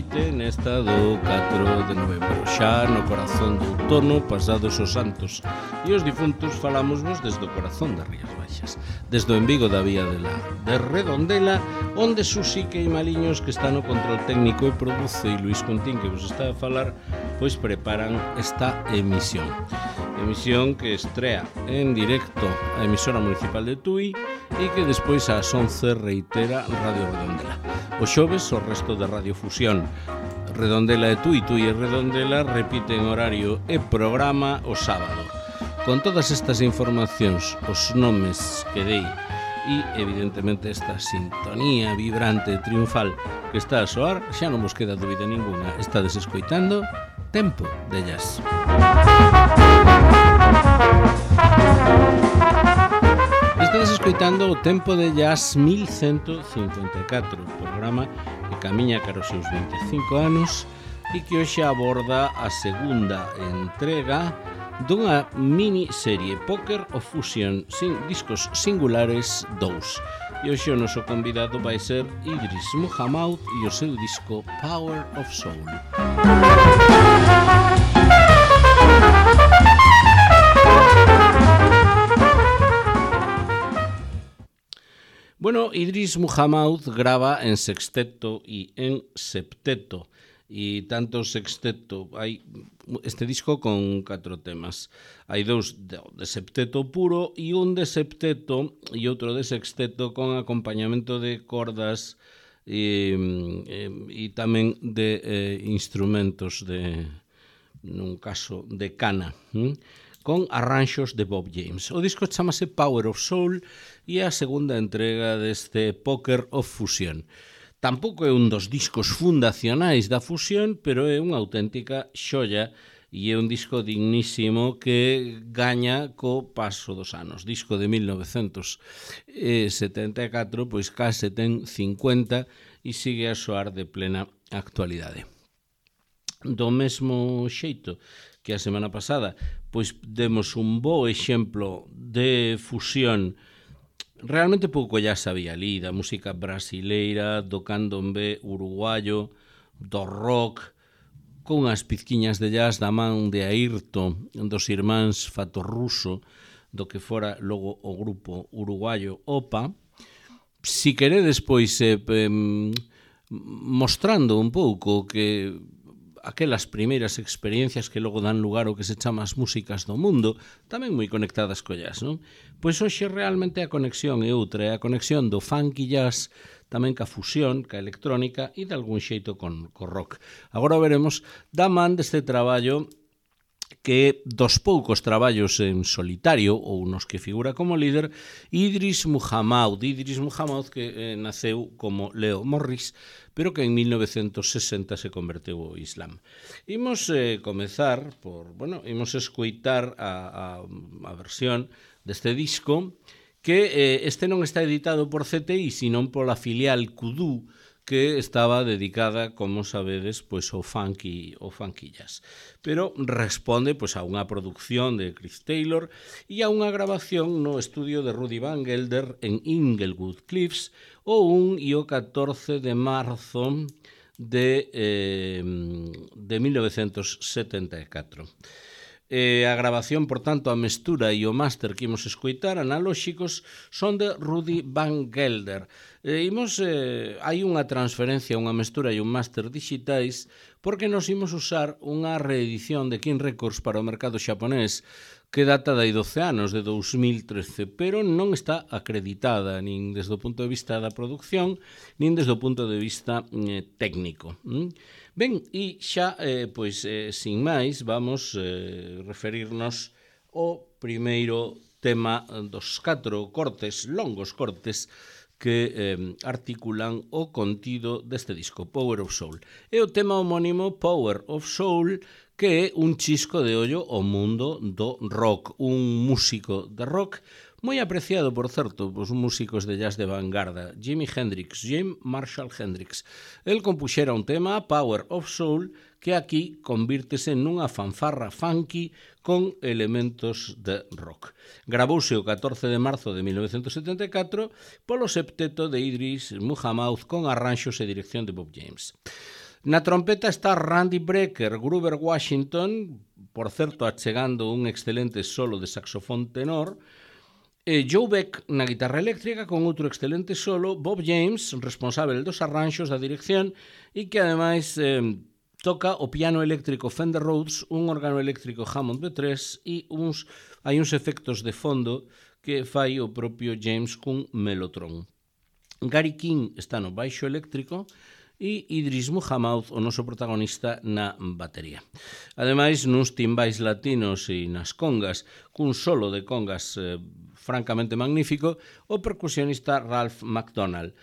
noite nesta do 4 de novembro. Xa no corazón do outono, pasados os santos e os difuntos, falámosvos desde o corazón das Rías Baixas, desde o embigo da vía de Redondela, onde Susi Queimaliños, que está no control técnico e produce, e Luís Contín, que vos está a falar, pois preparan esta emisión que estrea en directo a emisora municipal de Tui e que despois ás 11 reitera Radio Redondela. O xoves o resto de Radio Fusión Redondela e Tui, Tui e Redondela repiten horario e programa o sábado. Con todas estas informacións, os nomes que dei e evidentemente esta sintonía vibrante e triunfal que está a soar, xa non vos queda dúbida ninguna, estades escoitando Tempo de Jazz. Estades escoitando o Tempo de Jazz 1154, programa que camiña cara aos seus 25 anos e que hoxe aborda a segunda entrega dunha miniserie Poker of Fusion, discos singulares 2. E hoxe o noso convidado vai ser Idris Muhammad e o seu disco Power of Soul. Bueno, Idris Muhammad grava en sexteto e en septeto, e tanto sexteto, hai este disco con 4 temas. Hai 2 de septeto puro e un de septeto e outro de sexteto con acompañamento de cordas e tamén de instrumentos nun caso de cana, con arranxos de Bob James. O disco chamase Power of Soul e a segunda entrega deste Poker of Fusion. Tampouco é un dos discos fundacionais da fusión, pero é unha auténtica xoia e é un disco dignísimo que gaña co paso dos anos. Disco de 1974, pois case ten 50 e sigue a soar de plena actualidade. Do mesmo xeito que a semana pasada, pois demos un bo exemplo de fusión realmente pouco ya sabía ali, da música brasileira, do candombe uruguayo, do rock, con as pizquiñas de jazz da man de Ayrton, dos irmáns Fatorruso, do que fora logo o grupo uruguayo OPA. Si queredes, pois, mostrando un pouco que aquelas primeiras experiencias que logo dan lugar ao que se chama as músicas do mundo, tamén moi conectadas co jazz, non? Pois hoxe realmente a conexión é outra, é a conexión do funk e jazz, tamén ca fusión, ca electrónica e de algún xeito con rock. Agora veremos da man deste traballo que é dos poucos traballos en solitario ou nos que figura como líder Idris Muhammad que naceu como Leo Morris, pero que en 1960 se converteu ao Islam. Imos comezar imos escoitar a versión deste disco, que este non está editado por CTI, sino pola filial Kudu, que estaba dedicada, como sabedes, pois ao funk e jazz. Pero responde pois a unha produción de Chris Taylor e a unha grabación no estudio de Rudy Van Gelder en Inglewood Cliffs o 1 e o 14 de marzo de 1974. A grabación, por tanto, a mestura e o máster que imos escoitar analóxicos son de Rudy Van Gelder. Hai unha transferencia, unha mestura e un máster digitais porque nos imos usar unha reedición de King Records para o mercado xaponés que data de 12 anos, de 2013, pero non está acreditada nin desde o punto de vista da producción, nin desde o punto de vista técnico. Ben, e xa, sin máis, vamos referirnos ao primeiro tema dos 4 longos cortes que articulan o contido deste disco, Power of Soul. É o tema homónimo Power of Soul, que é un chisco de ollo ao mundo do rock, un músico de rock moi apreciado, por certo, os músicos de jazz de vanguarda, Jimi Marshall Hendrix. El compuxera un tema, Power of Soul, que aquí convírtese nunha fanfarra funky con elementos de rock. Gravouse o 14 de marzo de 1974 polo septeto de Idris Muhammad con arranxos e dirección de Bob James. Na trompeta está Randy Brecker, Grover Washington, por certo, achegando un excelente solo de saxofón tenor, Joe Beck na guitarra eléctrica con outro excelente solo, Bob James, responsable dos arranxos da dirección e que ademais toca o piano eléctrico Fender Rhodes, un órgano eléctrico Hammond B3 e hai uns efectos de fondo que fai o propio James cun melotron. Gary King está no baixo eléctrico e Idris Muhammad, o noso protagonista, na batería. Ademais, nuns timbais latinos e nas congas, cun solo de congas francamente magnífico, o percusionista Ralph McDonald.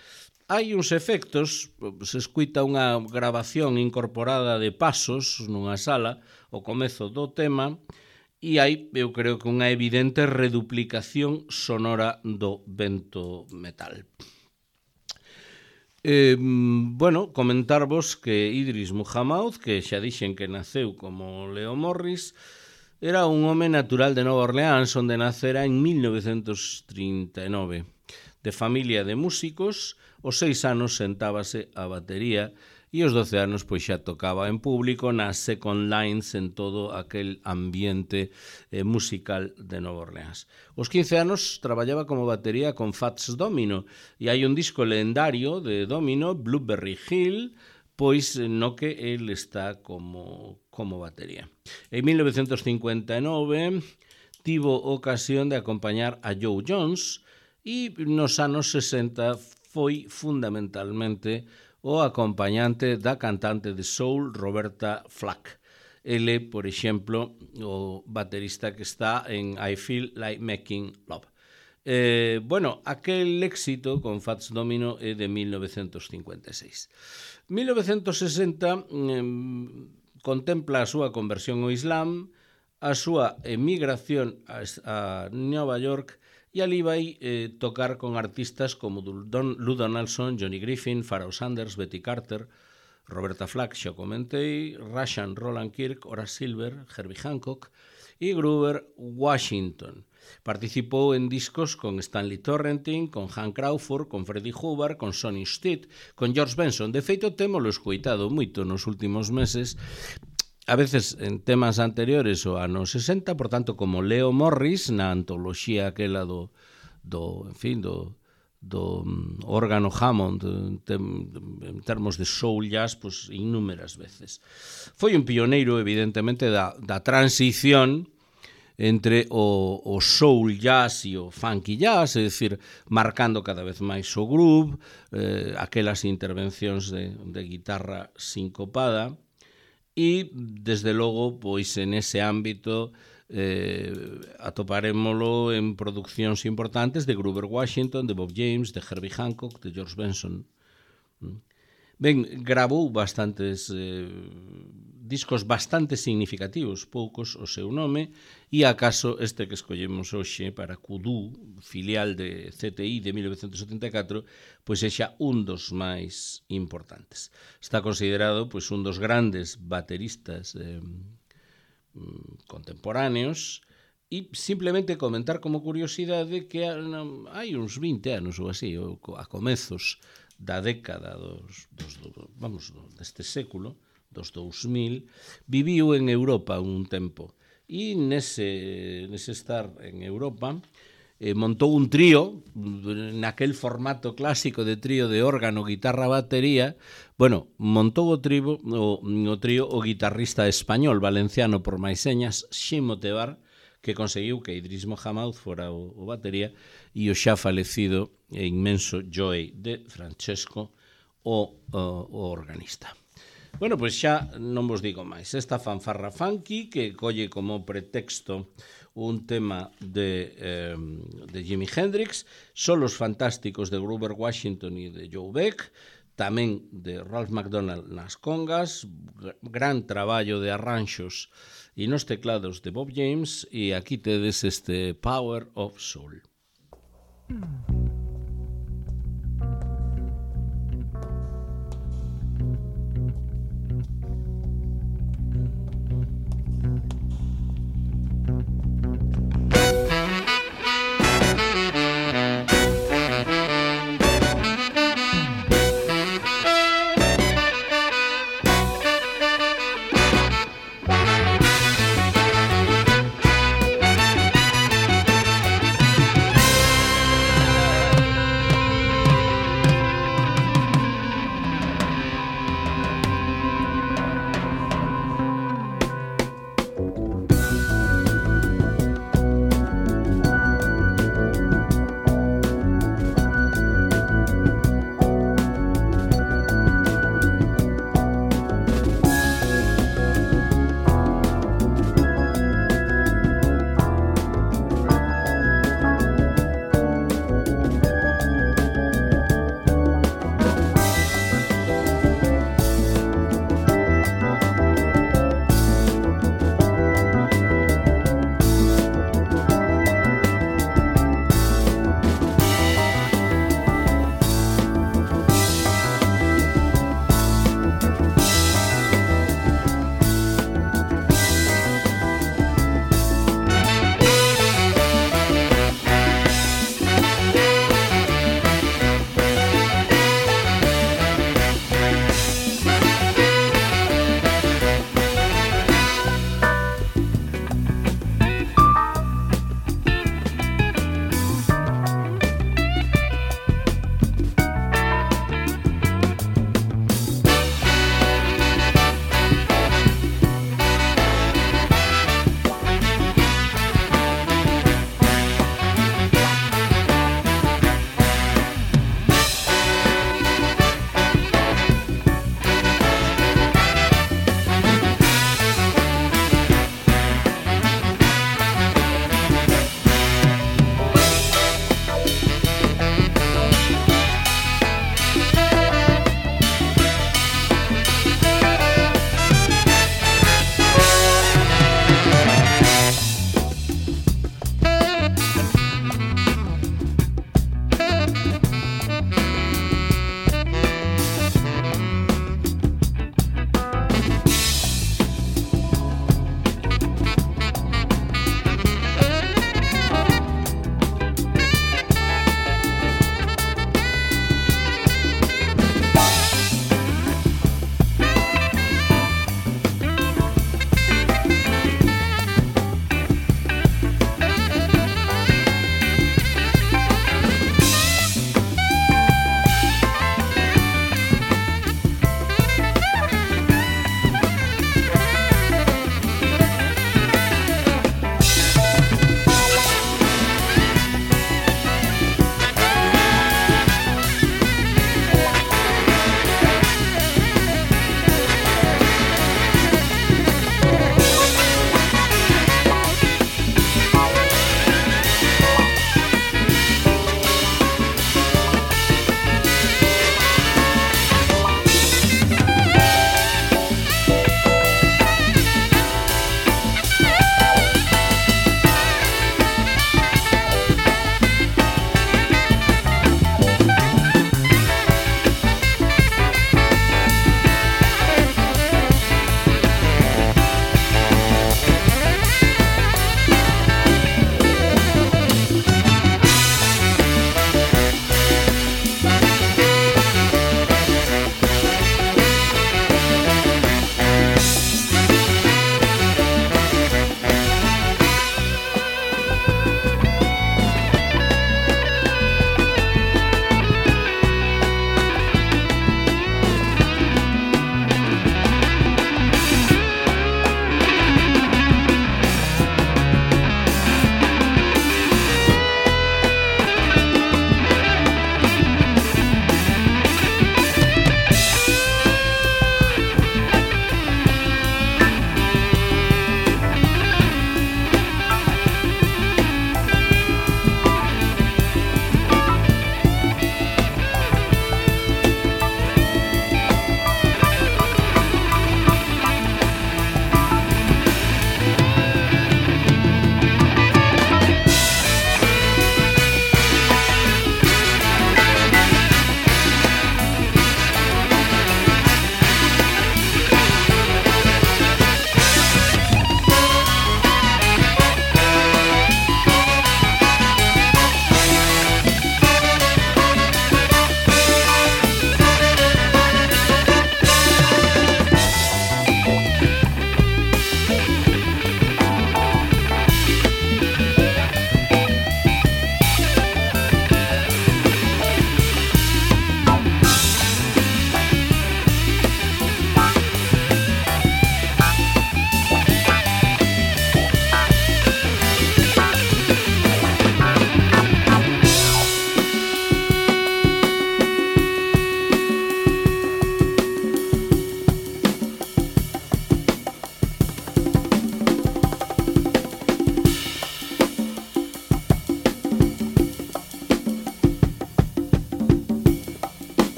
Hai uns efectos, se escuita unha grabación incorporada de pasos nunha sala, o comezo do tema, e hai, eu creo que unha evidente reduplicación sonora do vento metal. Comentarvos que Idris Muhammad, que xa dixen que naceu como Leo Morris, era un home natural de Nova Orleans, onde nacera en 1939. De familia de músicos, aos 6 anos sentábase a batería e aos 12 anos pois xa tocaba en público nas second lines en todo aquel ambiente musical de Nova Orleans. Aos 15 anos traballaba como batería con Fats Domino e hai un disco legendario de Domino, Blueberry Hill, pois no que el está como batería. En 1959 tivo ocasión de acompañar a Joe Jones e nos anos 60 foi fundamentalmente o acompañante da cantante de soul Roberta Flack. Ele, por exemplo, o baterista que está en I Feel Like Making Love. Aquel éxito con Fats Domino é de 1956. 1960 contempla a súa conversión ao Islam, a súa emigración a Nova York e ali vai tocar con artistas como Lou Donaldson, Johnny Griffin, Pharoah Sanders, Betty Carter, Roberta Flack, xa comentei, Rashan Roland Kirk, Horace Silver, Herbie Hancock e Grover Washington. Participou en discos con Stanley Torrenting, con Hank Crawford, con Freddie Hubbard, con Sonny Stitt, con George Benson. De feito, témolo escoitado moito nos últimos meses, a veces en temas anteriores ao ano 60, por tanto, como Leo Morris, na antoloxía aquela do órgano Hammond en termos de soul jazz, pues, innúmeras veces. Foi un pioneiro, evidentemente, da transición entre o soul jazz e o funky jazz, é dicir, marcando cada vez máis o groove, aquelas intervencións de guitarra sincopada, e, desde logo, pois, en ese ámbito atoparémolo en produccións importantes de Grover Washington, de Bob James, de Herbie Hancock, de George Benson. Ben, grabou bastantes discos bastante significativos, poucos o seu nome, e acaso este que escollemos hoxe para Kudu, filial de CTI de 1974, pois é xa un dos máis importantes. Está considerado pois un dos grandes bateristas contemporáneos, e simplemente comentar como curiosidade que hai uns 20 anos ou así, a comezos da década deste século, dos 2000, viviu en Europa un tempo. E nese estar en Europa montou un trío, naquel formato clásico de trío de órgano, guitarra, batería. Montou o trío o guitarrista español, valenciano por máis señas, Ximo Tebar, que conseguiu que Idris Muhammad fora o batería, e o xa falecido e inmenso Joey de Francesco, o organista. Pois xa non vos digo máis. Esta fanfarra funky que colle como pretexto un tema de Jimi Hendrix, solos fantásticos de Grover Washington e de Joe Beck, tamén de Ralph McDonald nas congas, gran traballo de arranxos e nos teclados de Bob James, e aquí tedes este Power of Soul.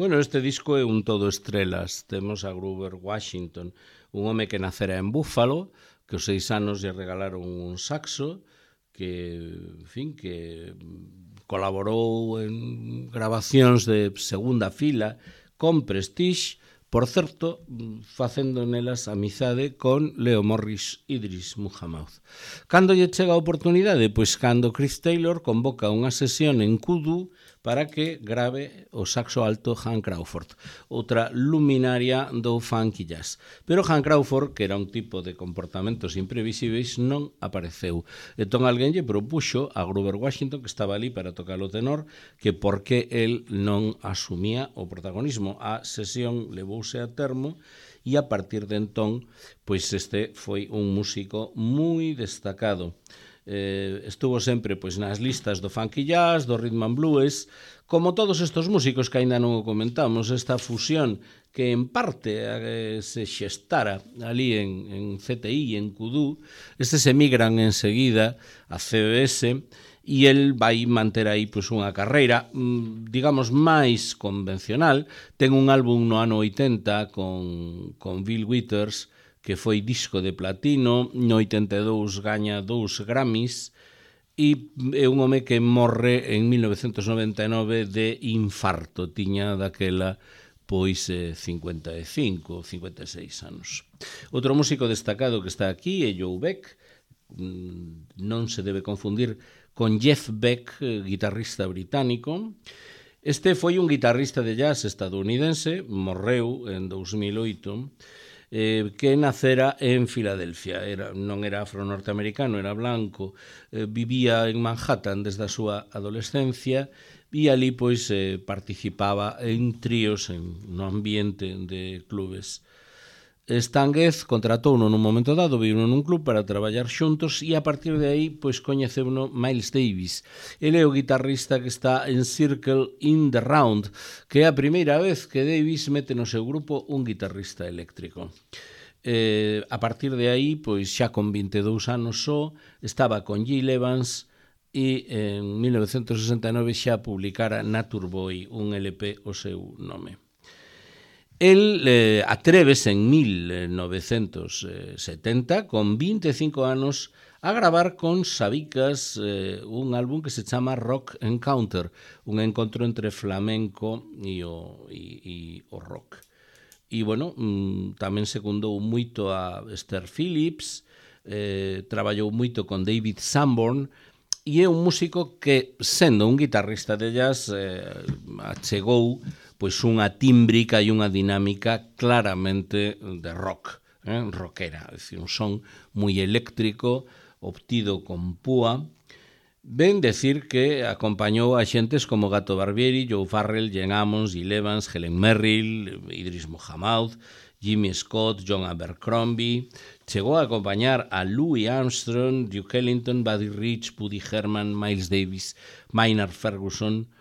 Bueno, este disco é un todo estrelas. Temos a Grover Washington, un home que nacera en Buffalo, que aos 6 anos lle regalaron un saxo, que, en fin, que colaborou en grabacións de segunda fila con Prestige, por certo, facendo nelas amizade con Leo Morris e Idris Muhammad. Cando lle chega a oportunidade? Pois cando Chris Taylor convoca unha sesión en Kudu para que grave o saxo alto Hank Crawford, outra luminaria do funky jazz. Pero Hank Crawford, que era un tipo de comportamentos imprevisíveis, non apareceu. Entón alguén lle propuxo a Grover Washington, que estaba ali para tocar o tenor, que por que el non asumía o protagonismo. A sesión levouse a termo e a partir de entón, pois este foi un músico moi destacado. Estuvo sempre pois nas listas do funky jazz, do rhythm and blues, como todos estos músicos que aínda non o comentamos, esta fusión que en parte se xestara ali en CTI, en Kudu, estes emigran enseguida a CBS e el vai manter aí pois unha carreira, digamos, máis convencional. Ten un álbum no ano 80 con Bill Withers, que foi disco de platino, no 82 gaña 2 Grammys, e é un home que morre en 1999 de infarto, tiña daquela pois 55, 56 anos. Outro músico destacado que está aquí é Joe Beck, non se debe confundir con Jeff Beck, guitarrista británico. Este foi un guitarrista de jazz estadounidense, morreu en 2008, que nacera en Filadelfia. Non era afro-norteamericano, era blanco, vivía en Manhattan desde a súa adolescencia e ali pois participaba en tríos no ambiente de clubes. Stan Getz contratouno nun momento dado, viuno nun club para traballar xuntos e a partir de aí pois coñeceuno Miles Davis. Ele é o guitarrista que está en Circle in the Round, que é a primeira vez que Davis mete no seu grupo un guitarrista eléctrico. A partir de aí, pois xa con 22 anos só, estaba con Gil Evans e en 1969 xa publicara Nature Boy, un LP o seu nome. El atrévese en 1970, con 25 anos, a gravar con Sabicas un álbum que se chama Rock Encounter, un encontro entre flamenco e o rock. E, bueno, tamén secundou moito a Esther Phillips, traballou moito con David Sanborn, e é un músico que, sendo un guitarrista de jazz, achegou pois unha tímbrica e unha dinámica claramente de rock, rockera, é dicir, un son moi eléctrico, obtido con púa. Ben decir que acompañou a xentes como Gato Barbieri, Joe Farrell, Gene Ammons, Gil Evans, Helen Merrill, Idris Muhammad, Jimmy Scott, John Abercrombie. Chegou a acompañar a Louis Armstrong, Duke Ellington, Buddy Rich, Woody Herman, Miles Davis, Maynard Ferguson,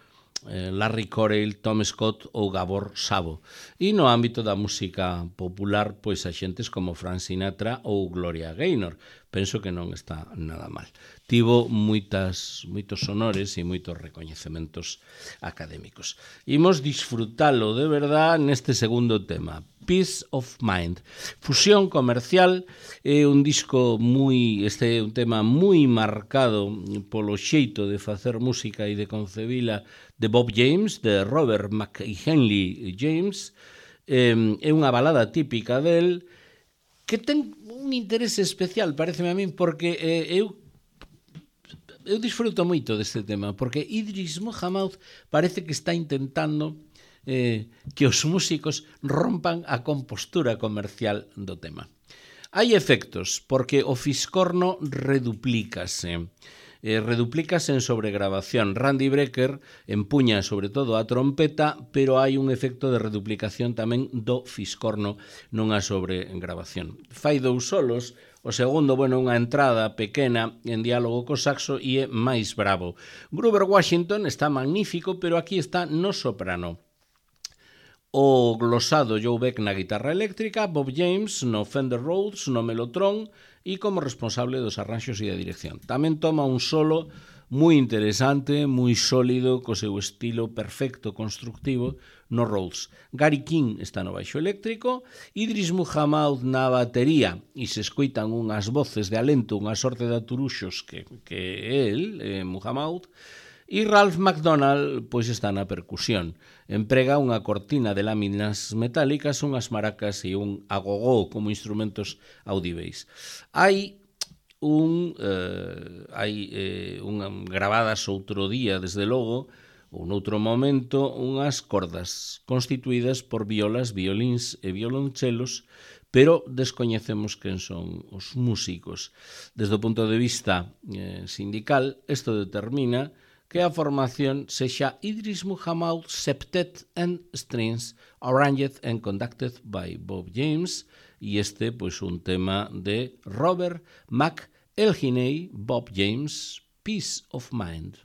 Larry Correll, Tom Scott ou Gabor Szabo. E no ámbito da música popular, pois a xentes como Frank Sinatra ou Gloria Gaynor. Penso que non está nada mal. Tivo moitos honores e moitos recoñecementos académicos. Imos disfrutalo de verdad neste segundo tema, Peace of Mind. Fusión comercial é un disco este é un tema moi marcado polo xeito de facer música e de concebila de Bob James, de Robert McHenley James. É unha balada típica del que ten un interese especial, pareceme a min, porque eu disfruto moito deste tema, porque Idris Muhammad parece que está intentando que os músicos rompan a compostura comercial do tema. Hai efectos, porque o fiscorno reduplícase en sobregrabación. Randy Brecker empuña sobre todo a trompeta, pero hai un efecto de reduplicación tamén do fiscorno nunha sobregrabación. Fai 2 solos, o segundo, unha entrada pequena en diálogo co saxo e é máis bravo. Grover Washington está magnífico, pero aquí está no soprano. O glosado Joe Beck na guitarra eléctrica, Bob James no Fender Rhodes, no Mellotron e como responsable dos arranxos e da dirección. Tamén toma un solo moi interesante, moi sólido, co seu estilo perfecto, constructivo, no Rhodes. Gary King está no baixo eléctrico, Idris Muhammad na batería, e se escoitan unhas voces de alento, unha sorte de aturuxos que é el, Muhammad, e Ralph McDonald pois está na percusión. Emprega unha cortina de láminas metálicas, unhas maracas e un agogó como instrumentos audíveis. Hai gravadas outro día, desde logo, ou noutro momento, unhas cordas constituídas por violas, violíns e violonchelos, pero descoñecemos quen son os músicos. Desde o punto de vista sindical, isto determina que a formación sexa Idris Muhammad Septet and Strings, arranged and conducted by Bob James, e este, pois, un tema de Robert McElhinney, Bob James, Peace of Mind.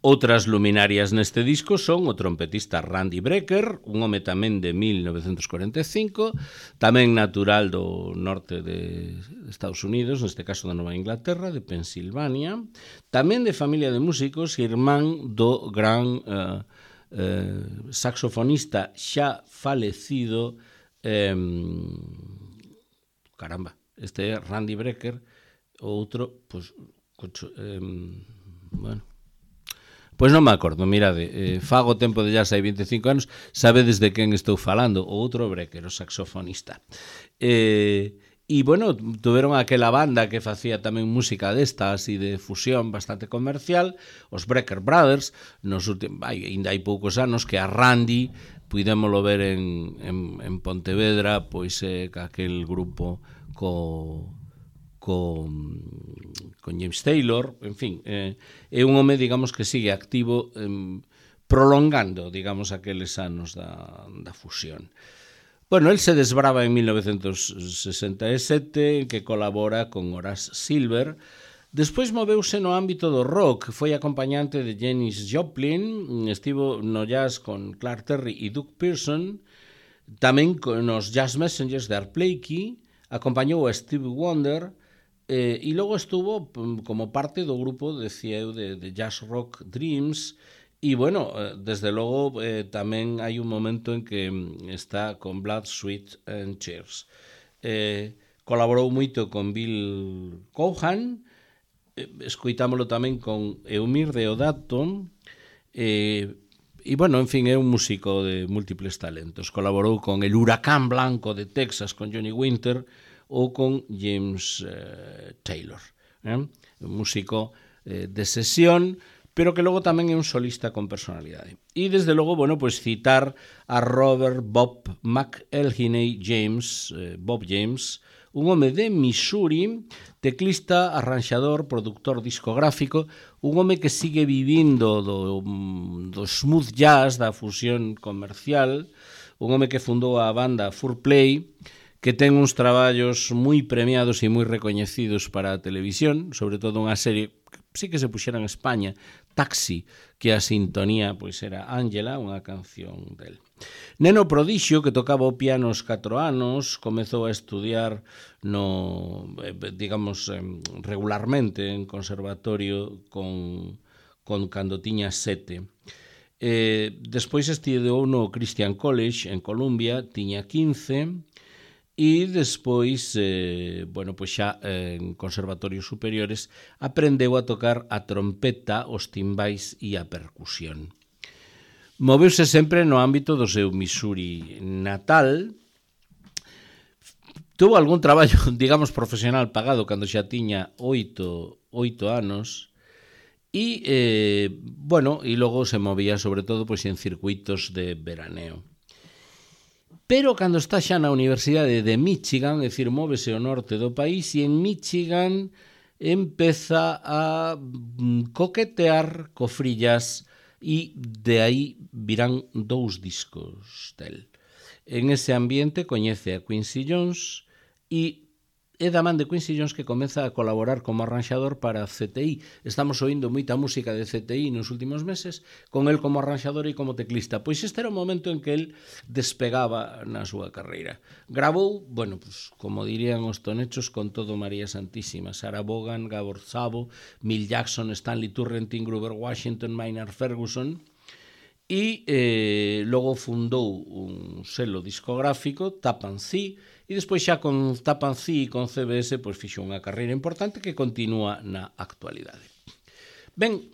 Outras luminarias neste disco son o trompetista Randy Brecker, un home tamén de 1945, tamén natural do norte de Estados Unidos, neste caso da Nova Inglaterra, de Pensilvania, tamén de familia de músicos, irmán do gran saxofonista xa falecido, caramba, este é Randy Brecker, o outro, pois, bueno, pois non me acordo, mirade, fago tempo de jazz hai 25 anos, sabedes de quen estou falando, o outro Brecker, o saxofonista. E, bueno, tuveron aquela banda que facía tamén música desta, así de fusión bastante comercial, os Brecker Brothers, ainda hai poucos anos que a Randy puidémolo ver en Pontevedra, pois aquel grupo con James Taylor, en fin, é un home, digamos, que sigue activo, prolongando, digamos, aqueles anos da fusión. Bueno, el se desbrava en 1967, que colabora con Horace Silver. Despois moveuse no ámbito do rock, foi acompañante de Janis Joplin, estivo no jazz con Clark Terry e Doug Pearson, tamén nos Jazz Messengers de Art Blakey, acompañou a Stevie Wonder, e logo estuvo como parte do grupo de jazz rock Dreams, e bueno, desde logo tamén hai un momento en que está con Blood, Sweat and Tears. Colaborou moito con Bill Cohan, escoitámolo tamén con Eumir Deodato, e bueno, en fin, é un músico de múltiples talentos. Colaborou con El Huracán Blanco de Texas, con Johnny Winter, ou con James Taylor, un músico de sesión, pero que logo tamén é un solista con personalidade. E desde logo, bueno, pois citar a Robert Bob McElhinney James, Bob James, un home de Missouri, teclista, arranxador, productor discográfico, un home que sigue vivindo do smooth jazz, da fusión comercial, un home que fundou a banda Fourplay, que ten uns traballos moi premiados e moi recoñecidos para a televisión, sobre todo unha serie que sí que se puxera en España, Taxi, que a sintonía pois era Ángela, unha canción del. Neno prodixio, que tocaba o piano aos 4 anos, comezou a estudiar digamos, regularmente en conservatorio cando tiña 7. Despois estudou no Christian College en Columbia, tiña 15, e despois, bueno, pois xa en conservatorios superiores aprendeu a tocar a trompeta, os timbais e a percusión. Moveuse sempre no ámbito do seu Missouri natal. Tuvo algún traballo, digamos, profesional pagado cando xa tiña 8 anos e, bueno, e logo se movía sobre todo pois en circuitos de veraneo. Pero cando está xa na Universidade de Michigan, é dicir, móvese ao norte do país, e en Michigan empeza a coquetear co free jazz, e de aí virán 2 discos del. En ese ambiente coñece a Quincy Jones e é da man de Quincy Jones que comeza a colaborar como arranxador para CTI. Estamos oindo moita música de CTI nos últimos meses, con el como arranxador e como teclista. Pois este era o momento en que el despegaba na súa carreira. Gravou, bueno, pues, como dirían os tonechos, con todo María Santísima. Sarah Vaughan, Gabor Szabo, Milt Jackson, Stanley Turrentine, Grover Washington, Maynard Ferguson. E logo fundou un selo discográfico, Tappan Zee, e despois xa con Tappan Zee e con CBS pois fixo unha carreira importante que continúa na actualidade. Ben,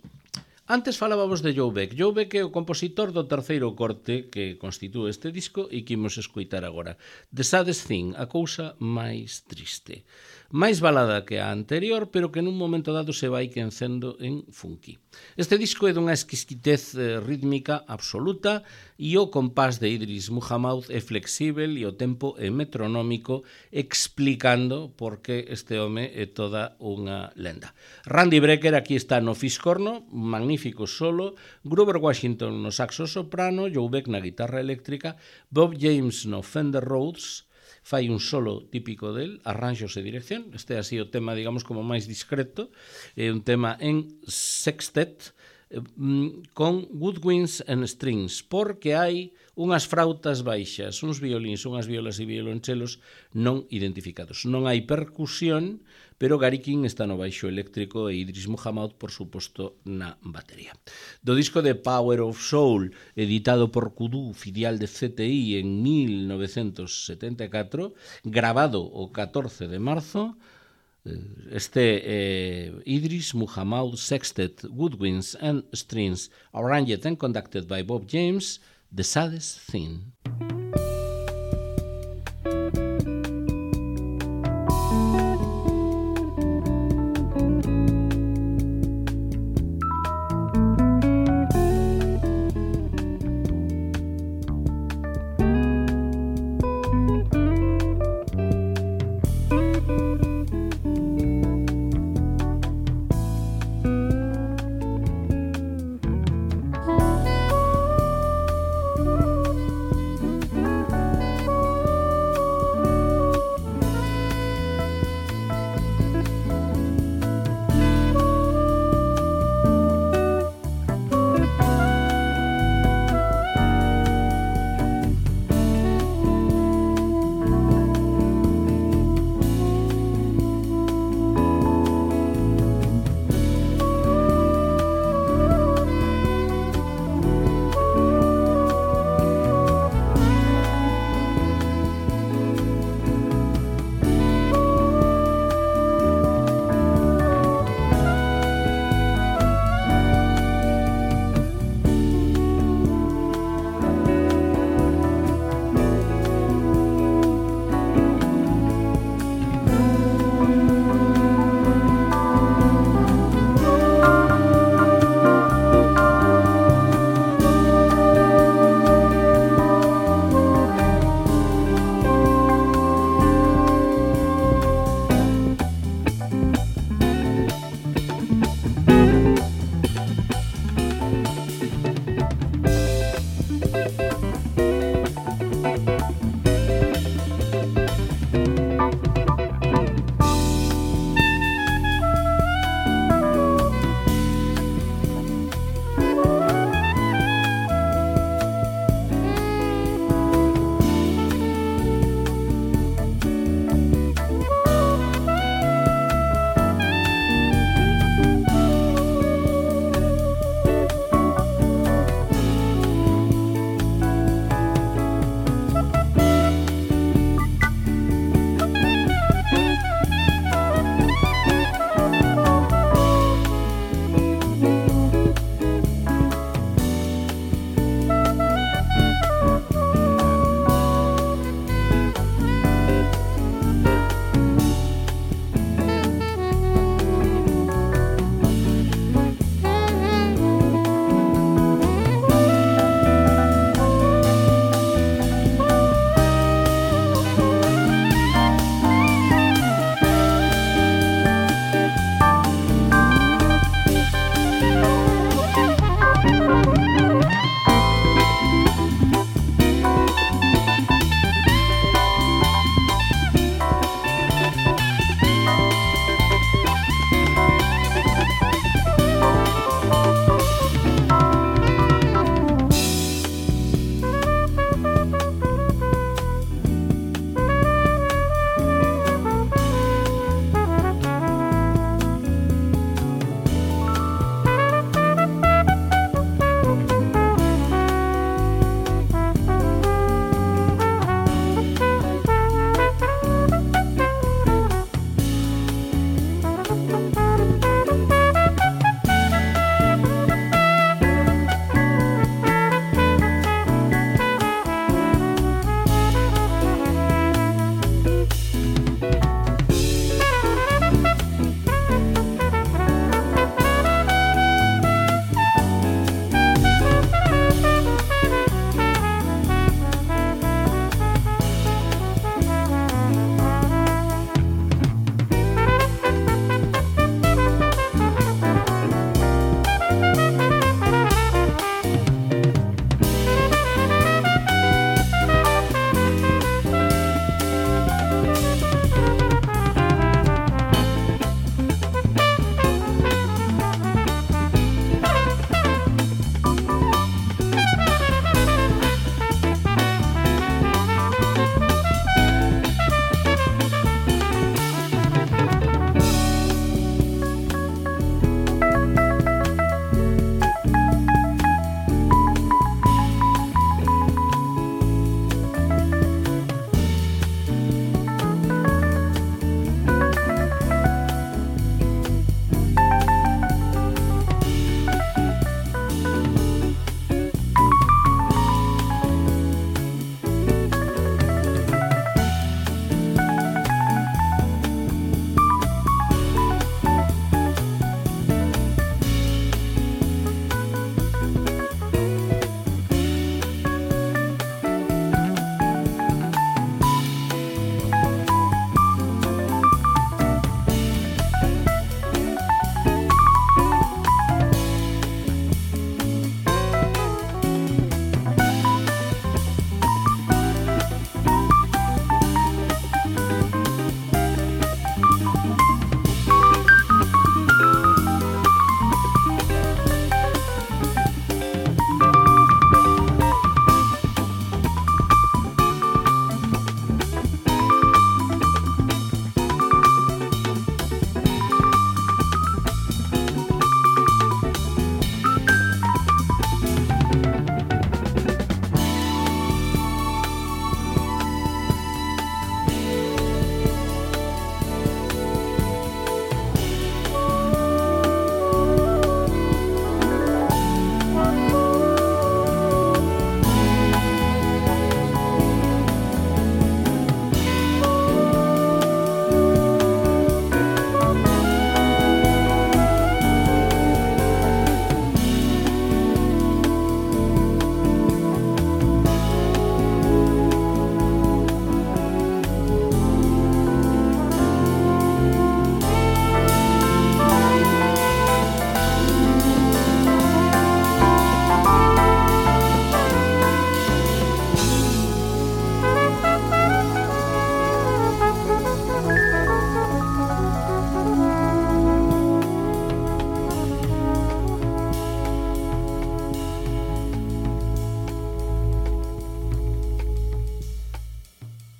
antes falábamos de Joe Beck. Joe Beck é o compositor do terceiro corte que constitúe este disco e que imos escoitar agora. The Saddest Thing, a cousa máis triste. Máis balada que a anterior, pero que nun momento dado se vai quencendo en funky. Este disco é dunha exquisitez rítmica absoluta e o compás de Idris Muhammad é flexível e o tempo é metronómico, explicando por que este home é toda unha lenda. Randy Brecker aquí está no fiscorno, magnífico solo, Grover Washington no saxo soprano, Joe Beck na guitarra eléctrica, Bob James no Fender Rhodes, fai un solo típico del, arranxos e dirección. Este é así o tema, digamos, como máis discreto. É un tema en sextet, con woodwinds and strings, porque hai unhas frautas baixas, uns violíns, unhas violas e violonchelos non identificados. Non hai percusión, pero Gary King está no baixo eléctrico e Idris Muhammad, por suposto, na batería. Do disco de Power of Soul, editado por Kudu, filial de CTI, en 1974, grabado o 14 de marzo, Idris Muhammad Sextet, Woodwinds and Strings, arranged and conducted by Bob James, The Saddest Thing.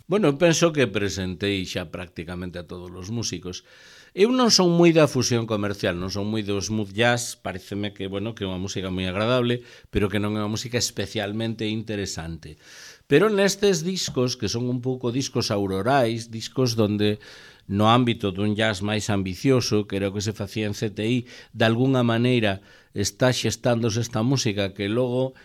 Bueno, penso que presentei xa prácticamente a todos os músicos. Eu non son moi da fusión comercial, non son moi do smooth jazz, pareceme que, bueno, que é unha música moi agradable, pero que non é unha música especialmente interesante. Pero nestes discos, que son un pouco discos aurorais, discos donde no ámbito dun jazz máis ambicioso, que era o que se facía en CTI, de alguna maneira está xestándose esta música que logo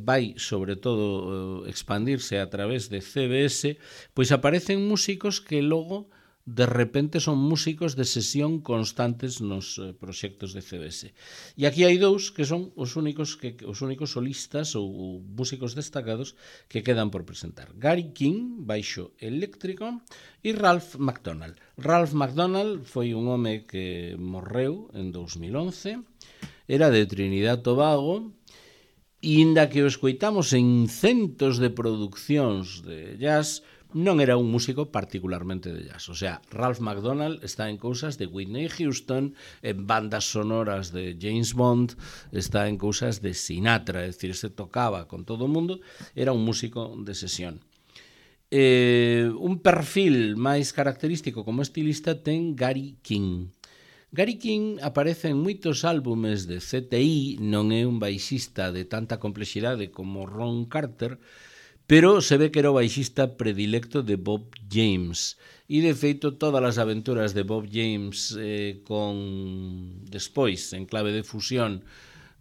vai, sobre todo, expandirse a través de CBS, pois aparecen músicos que logo de repente son músicos de sesión constantes nos proxectos de CBS. E aquí hai dous que son os únicos solistas ou músicos destacados que quedan por presentar. Gary King, baixo eléctrico, e Ralph McDonald. Ralph McDonald foi un home que morreu en 2011, era de Trinidad Tobago, e inda que o escoitamos en centos de producións de jazz, non era un músico particularmente de jazz. O sea, Ralph McDonald está en cousas de Whitney Houston, en bandas sonoras de James Bond, está en cousas de Sinatra, é dicir, se tocaba con todo o mundo, era un músico de sesión. Un perfil máis característico como estilista ten Gary King. Gary King aparece en moitos álbumes de CTI, non é un baixista de tanta complexidade como Ron Carter, pero se ve que era o baixista predilecto de Bob James. E, de feito, todas as aventuras de Bob James despois, en clave de fusión,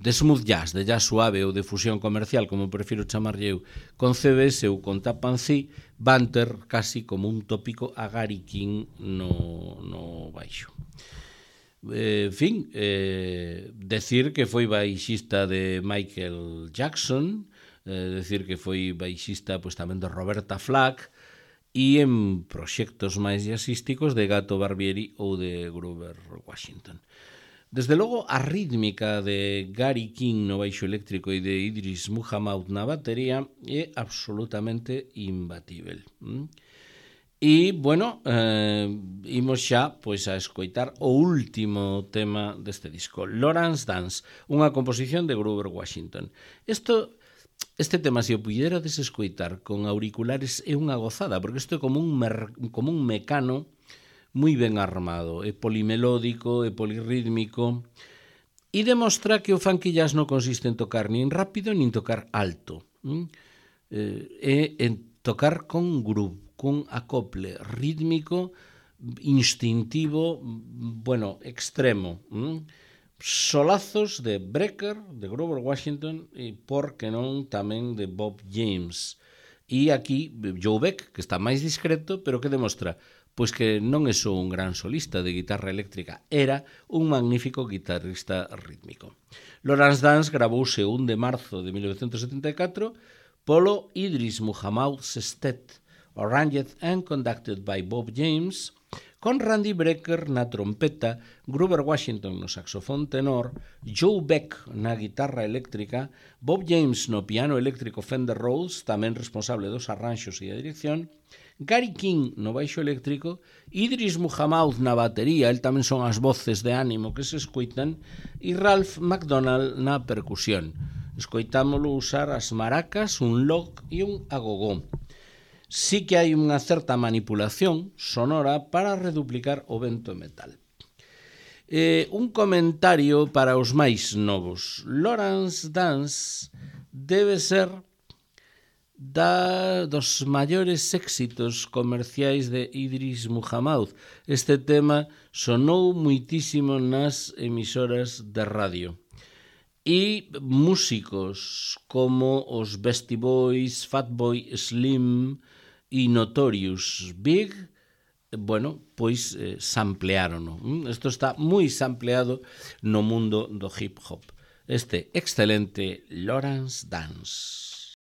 de smooth jazz, de jazz suave ou de fusión comercial, como prefiro chamarlle eu, con CBS ou con Tapancí, van ter casi como un tópico a Gary King no baixo. Decir que foi baixista de Michael Jackson, decir que foi baixista pois, tamén de Roberta Flack e en proxectos máis jazzísticos de Gato Barbieri ou de Grover Washington. Desde logo, a rítmica de Gary King no baixo eléctrico e de Idris Muhammad na batería é absolutamente imbatível. E, bueno, imos xa pois, a escoitar o último tema deste disco, Lawrence Dance, unha composición de Grover Washington. Este tema, se o puiderades escoitar con auriculares, é unha gozada, porque isto é como un mecano moi ben armado, é polimelódico, é polirrítmico, e demostra que o funky jazz non consiste en tocar nin rápido nin tocar alto, é en tocar con groove, cun acople rítmico, instintivo, bueno, extremo. Solazos de Brecker, de Grover Washington, e por que non tamén de Bob James. E aquí Joe Beck, que está máis discreto, pero que demostra pois que non é só un gran solista de guitarra eléctrica, era un magnífico guitarrista rítmico. Lawrence Dance gravouse o 1 de marzo de 1974 polo Idris Muhammad Sestet, arranged and conducted by Bob James, con Randy Brecker na trompeta, Grover Washington no saxofón tenor, Joe Beck na guitarra eléctrica, Bob James no piano eléctrico Fender Rhodes, tamén responsable dos arranxos e a dirección, Gary King no baixo eléctrico, Idris Muhammad na batería, el tamén son as voces de ánimo que se escoitan, e Ralph McDonald na percusión. Escoitámolo usar as maracas, un log e un agogó. Sí que hai unha certa manipulación sonora para reduplicar o vento metal. Un comentario para os máis novos. Lawrence Dance debe ser dos maiores éxitos comerciais de Idris Muhammad. Este tema sonou muitísimo nas emisoras de radio. E músicos como os Beastie Boys, Fatboy Slim e Notorious Big, bueno, pois sampleárono. Isto está moi sampleado no mundo do hip hop. Este excelente Lawrence Dance.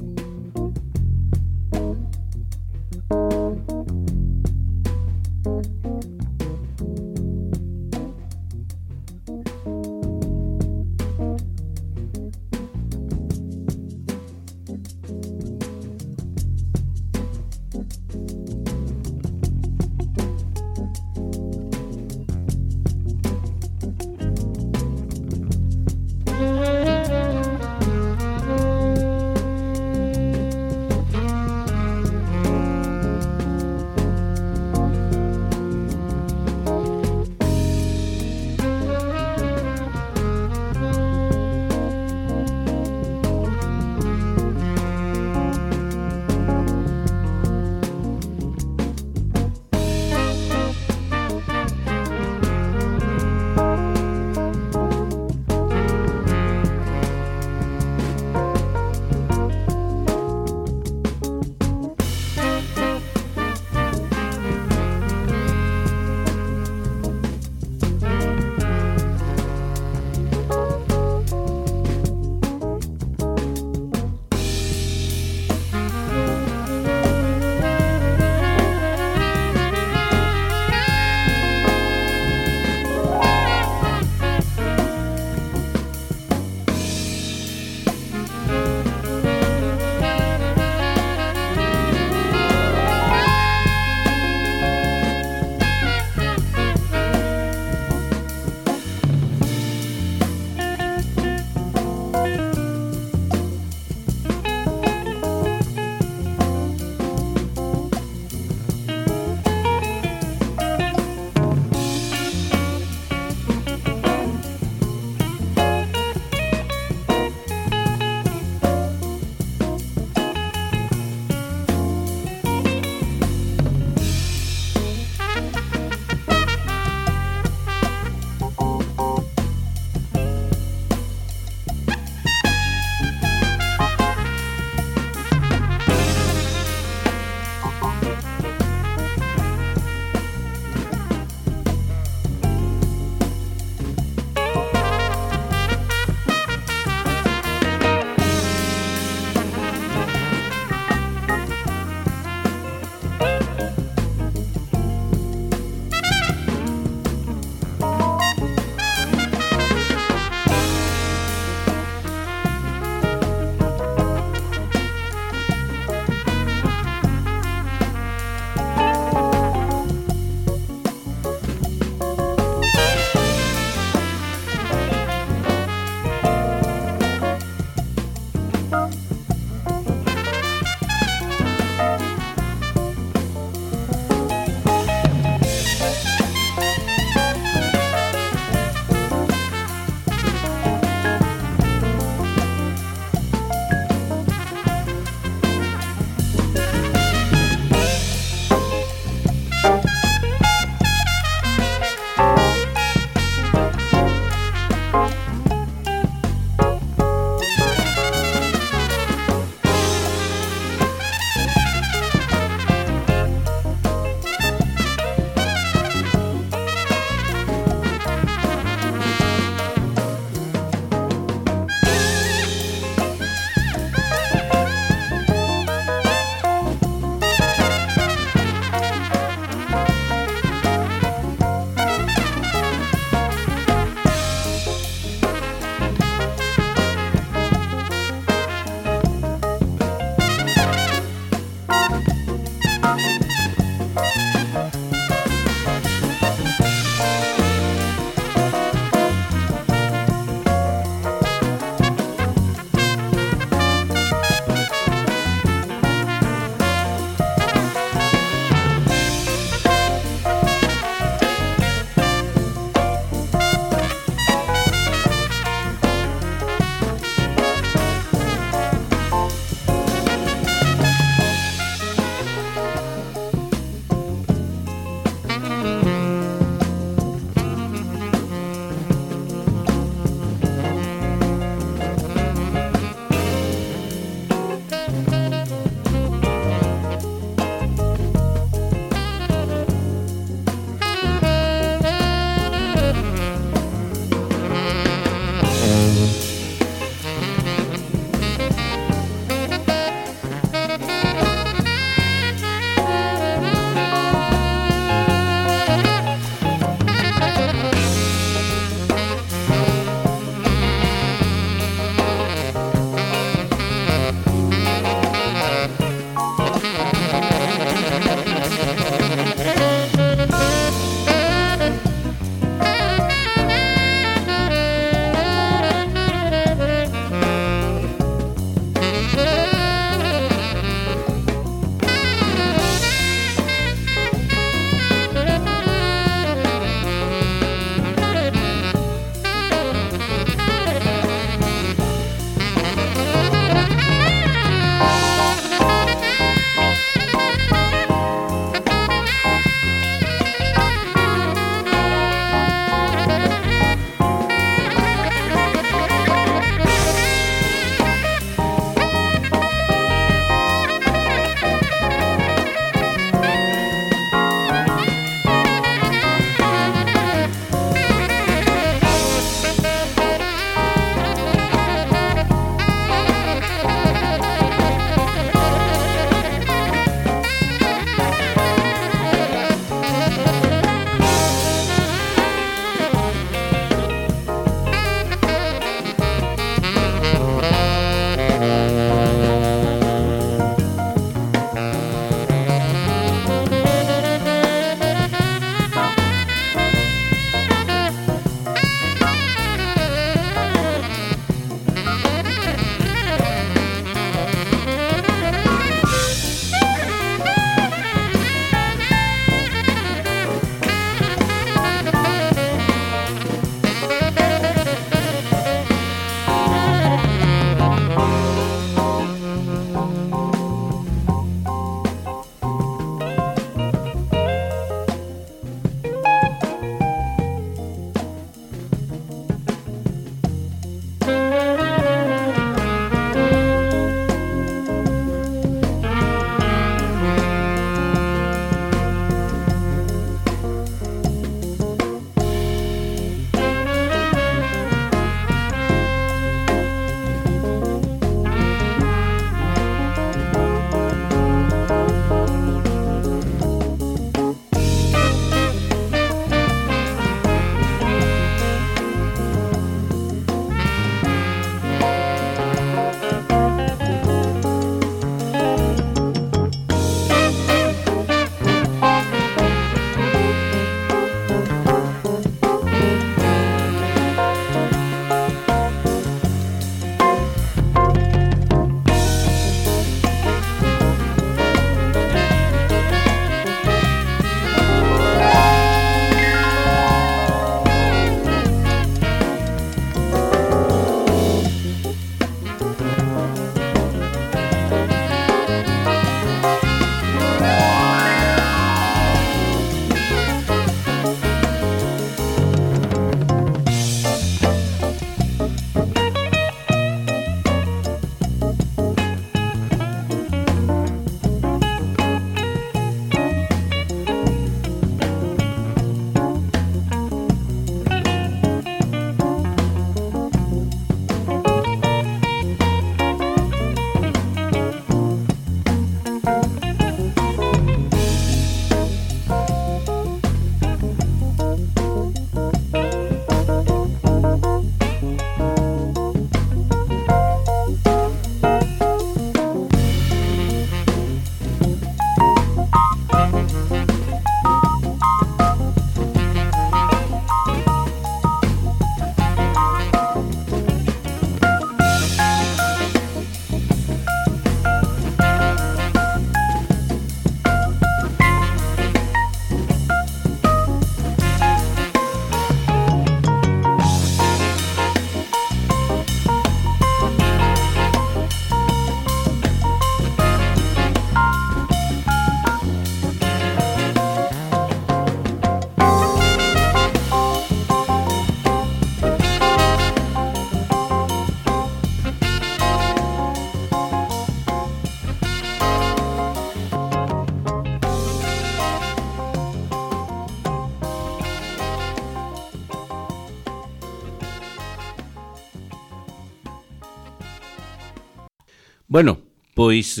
Bueno, pois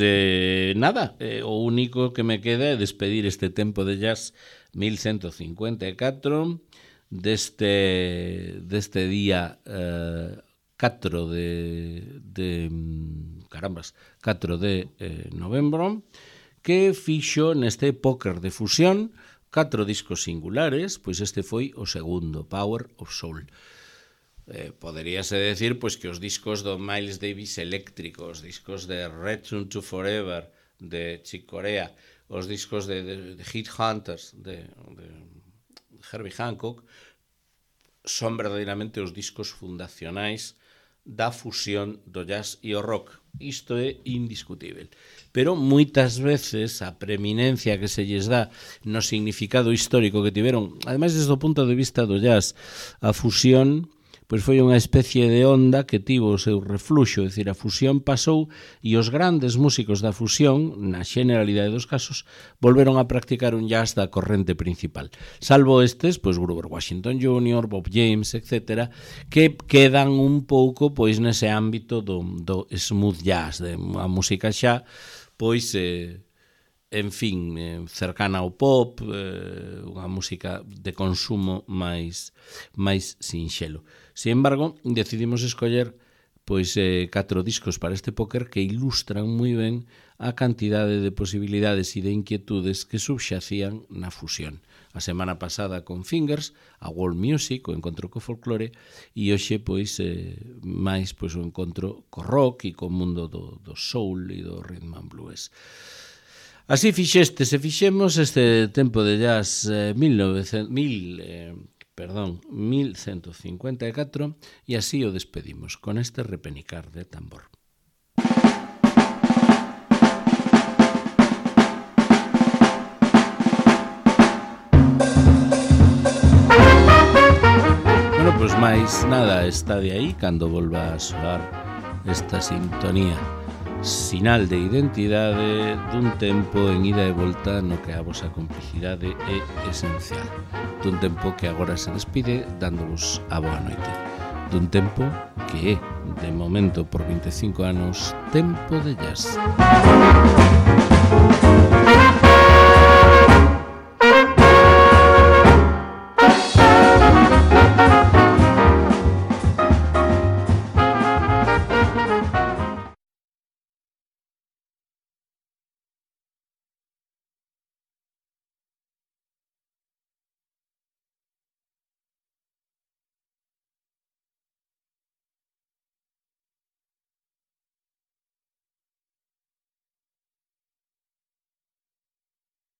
nada, o único que me queda é despedir este tempo de jazz 1154 deste día 4 de novembro, que fixo neste póker de fusión 4 discos singulares, pois este foi o segundo, Power of Soul. Poderíase decir pois que os discos do Miles Davis eléctricos, os discos de Return to Forever de Chick Corea, os discos de Hit Hunters de Herbie Hancock son verdadeiramente os discos fundacionais da fusión do jazz e o rock. Isto é indiscutível. Pero moitas veces a preeminencia que se lles dá no significado histórico que tiveron, ademais desde o punto de vista do jazz, a fusión pois foi unha especie de onda que tivo o seu refluxo, é dicir, a fusión pasou e os grandes músicos da fusión, na generalidade dos casos, volveron a practicar un jazz da corrente principal. Salvo estes, pois Grover Washington Jr., Bob James, etc., que quedan un pouco pois nese ámbito do smooth jazz, de a música xa, pois en fin, cercana ao pop, unha música de consumo máis sinxelo. Sin embargo, decidimos escoller pois 4 discos para este póker que ilustran moi ben a cantidade de posibilidades e de inquietudes que subxacían na fusión. A semana pasada con Fingers, a World Music, o encontro co folclore, e hoxe pois máis pois o encontro co rock e co mundo do soul e do rhythm and blues. Así fixemos este tempo de jazz 1154 e así o despedimos con este repenicar de tambor. Bueno, pois máis nada, está de aí cando volva a soar esta sintonía. Sinal de identidade dun tempo en ida e volta no que a vosa complicidade é esencial. Dun tempo que agora se despide dándovos a boa noite. Dun tempo que é, de momento por 25 anos, tempo de jazz.